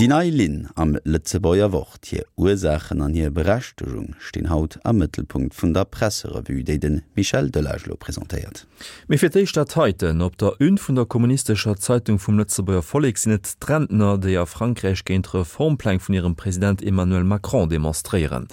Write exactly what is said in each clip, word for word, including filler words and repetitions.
Déi nei Linn am Lëtzebuerger Wort, hir Ursaachen an hir Berechtegung stinn haut am Mëttelpunkt vun der Presserevue, déi de Michel Delage elo presentéiert. Mee fir d'éischt dat heiten, Op der Une vun der kommunistescher Zeitung vum Lëtzebuerger Vollek sinn et d'Rentner, déi a Frankräich géint d'Reformpläng vun hirem President Emmanuel Macron demonstréieren.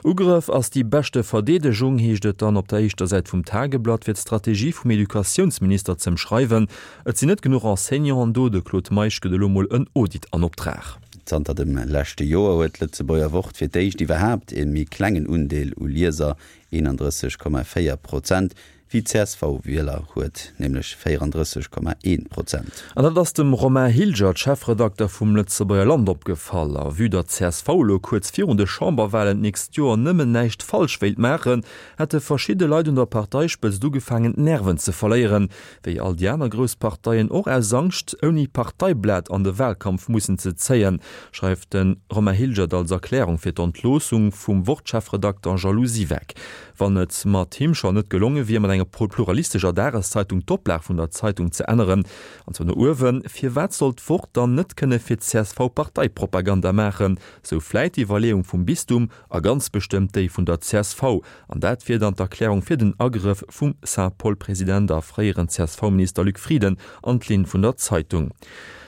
Ugrëff ass déi beschte Verdeedegung, heescht et dann op der éischter Säit vum Tageblatt, fir d'Strategie vum Educatiounsminister z'ëmschreiwen. Et sinn net genuch Enseignanten do, de Claude Meisch gëtt elo mol en Audit an Optrag. Zanter dem leschte Joer huet d'Lëtzebuerger Wort fir d'éischt iwwerhaapt e méi klengen Undeel u Lieser, eenandrësseg Komma véier Prozent, wéi d'C S V-Wieler huet, nämlech véierandrësseg Komma een Prozent. An dat ass dem Romain Hilgert, Chefredakter vum Lëtzebuerger Land, opgefall. A vue datt d'C S V elo kuerz virun de Chamberwalen d'nächst Joer nëmmen näischt falsch wéilt maachen, hätte verschidde Leit un der Parteispëtzt ugefaangen d'Nerven ze verléieren, wéi all déi aner grouss Parteien och aus Angscht, ouni Parteiblat an de Wahlkampf mussen ze zéien, schreift de Romain Hilgert als Erklärung fir d'Entloossung vum Wort-Chefredakter Jean-Lou Siweck. Wann et mat him schonn net gelonge wier, mat enger pluralistescher Dageszeitung d'Oplag vun der Zeitung ze änneren, an zwar no uewen, firwat sollt d'Wort dann net kënne fir d'C S V Parteipropaganda maachen? Sou vläit d'Iwwerleeung vum Bistum a ganz bestëmmt déi vun der C S V. An dat wier dann d'Erklärung fir den Agrëff vum Saint-Paul-President a fréieren C S V-Minister Luc Frieden an d'Linn vun der Zeitung.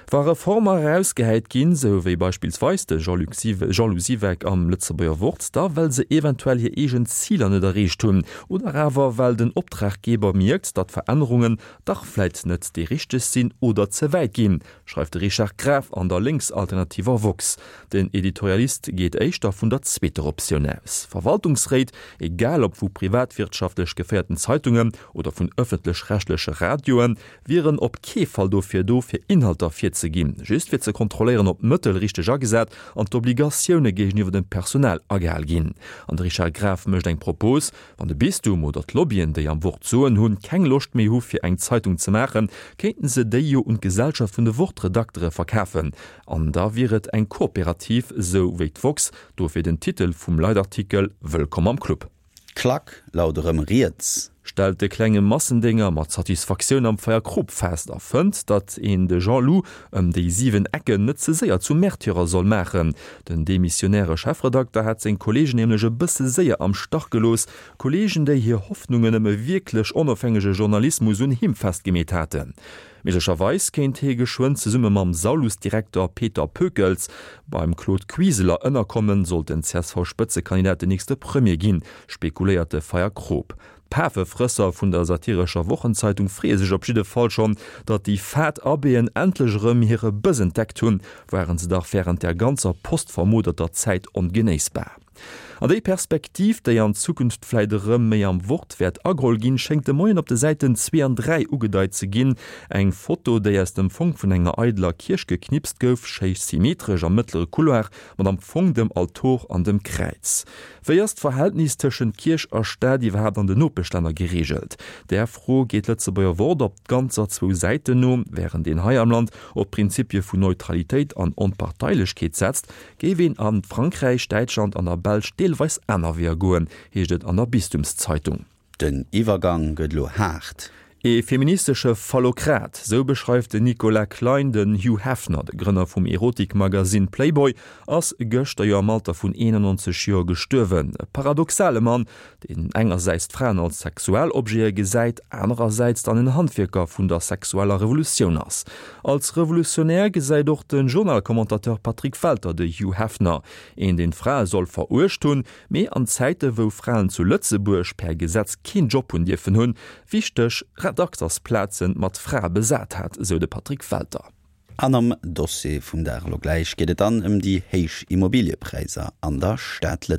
Wa Reformer erausgehäit ginn, sou wéi beispillsweis de Jean-Luc Jean-Lou Siweck am Lëtzebuerger Wort, da well se eventuell hir eegen Ziler net erreecht hunn oder awer well den Optraggeber mierkt, datt Verännerungen dach vläit net déi richteg sinn oder ze wäit ginn, schreift de Richard Graf an der lénksalternativer woxx. Den Editorialist geet éischter vun der zweeter Optioun aus. Verwaltungsréit, egal ob vu privatwirtschaftlech geféierten Zeitungen oder vun ëffentlech-rechtleche Radioen, wieren op kee Fall dofir do, fir Inhalter virzeginn, just fir ze kontrolléieren, ob d'Mëttel richteg agesat an d'Obligatioune géigeniwwer dem Personal agehal ginn. An de Richard Graf mécht eng Propos, Wann de Bistum oder d'Lobbyen, déi am Wort d'Soen hunn, keng Loscht méi hu fir eng Zeitung ze maachen, kéinten se déi jo un d'Gesellschaft vun de Wort-Redaktere verkafen. An da wier et eng Kooperativ, sou wéi d'woxx. Dofir den Titel vum Leitartikel, Wëllkomm am Club. D'Klack laut erëm riets. Stellt de klenge Massendénger mat Satisfaktioun am Feierkrop fest a fënnt, datt een de Jean-Lou ëm déi siwen Ecken net ze séier zum Märtyrer soll maachen. Den demissionäre Chefredakter hat seng Kolleegen nämlech e bësse séier am Stach gelooss, Kolleegen, déi hir Hoffnungen ëm e wierklech onofhängege Journalismus un him festgemeet haten. Méiglecherweis kéint hie geschwënn zesumme mam Saulus-Direkter Peter Pökels beim Claude Wiseler ënnerkommen, sollt den C S V-Spëtzekandidat den nächste Premier ginn, spekuléiert de Feierkrop. D'Pafefrësser vun der satirescher Wochenzeitung freeë sech op jidde Fall schonn, datt déi fad Abbéen endlech erëm hire Bëss entdeckt hunn, waren se dach wärend där ganzer postvermoderter Zäit ongenéissbar. An déi Perspektiv, déi an Zukunft vläit erëm méi am Wort wäert ageholl ginn, schéngt de Moien op de Säiten zwee an dräi ugedeit ze ginn. Eng Foto, déi aus dem Fong vun enger eideler Kierch geknipst gouf, schéi symmetresch am mëttlere Couloir, mat am Fong dem Altor an dem Kräiz. Wéi ass d'Verhältnis tëschent Kierch a Staat iwwerhaapt an den Nopeschlänner gereegelt? Där Fro geet d'Lëtzebuerger Wort op ganzer zwou Säiten no. Wärend een hei am Land op d'Prinzipie vun Neutralitéit an Onparteilechkeet setzt, géif een a Frankräich, Däitschland an der Belsch deelweis aner Weeër goen, heescht et an der Bistumszeitung. Den Iwwergang gëtt elo haart. E feministesche Phallokrat, sou beschreift den Nicolas Klein den Hugh Hefner, de Grënner vum Erotikmagasinn Playboy, ass gëschter jo am Alter vun eenannonzeg Joer gestuerwen. E paradoxale Mann, deen engersäits d'Fraen als Sexualobjete gesäit, anerersäits dann en Handwierker vun der sexueller Revolutioun ass. Als Revolutionär gesäit och de Journal-Commentateur Patrick Welter de Hugh Hefner, een deen d'Frae soll veruecht hunn, mee an Zäite wou Fraen zu Lëtzebuerg per Gesetz keen Job hunn dierfen hunn, wichteg Redaktersplazen mat Frae besat hat, sou de Patrick Welter. An am Dossier vum Dag elo gläich geet et dann ëm déi héich Immobiliëpräisser an der Stad Lëtzebuerg.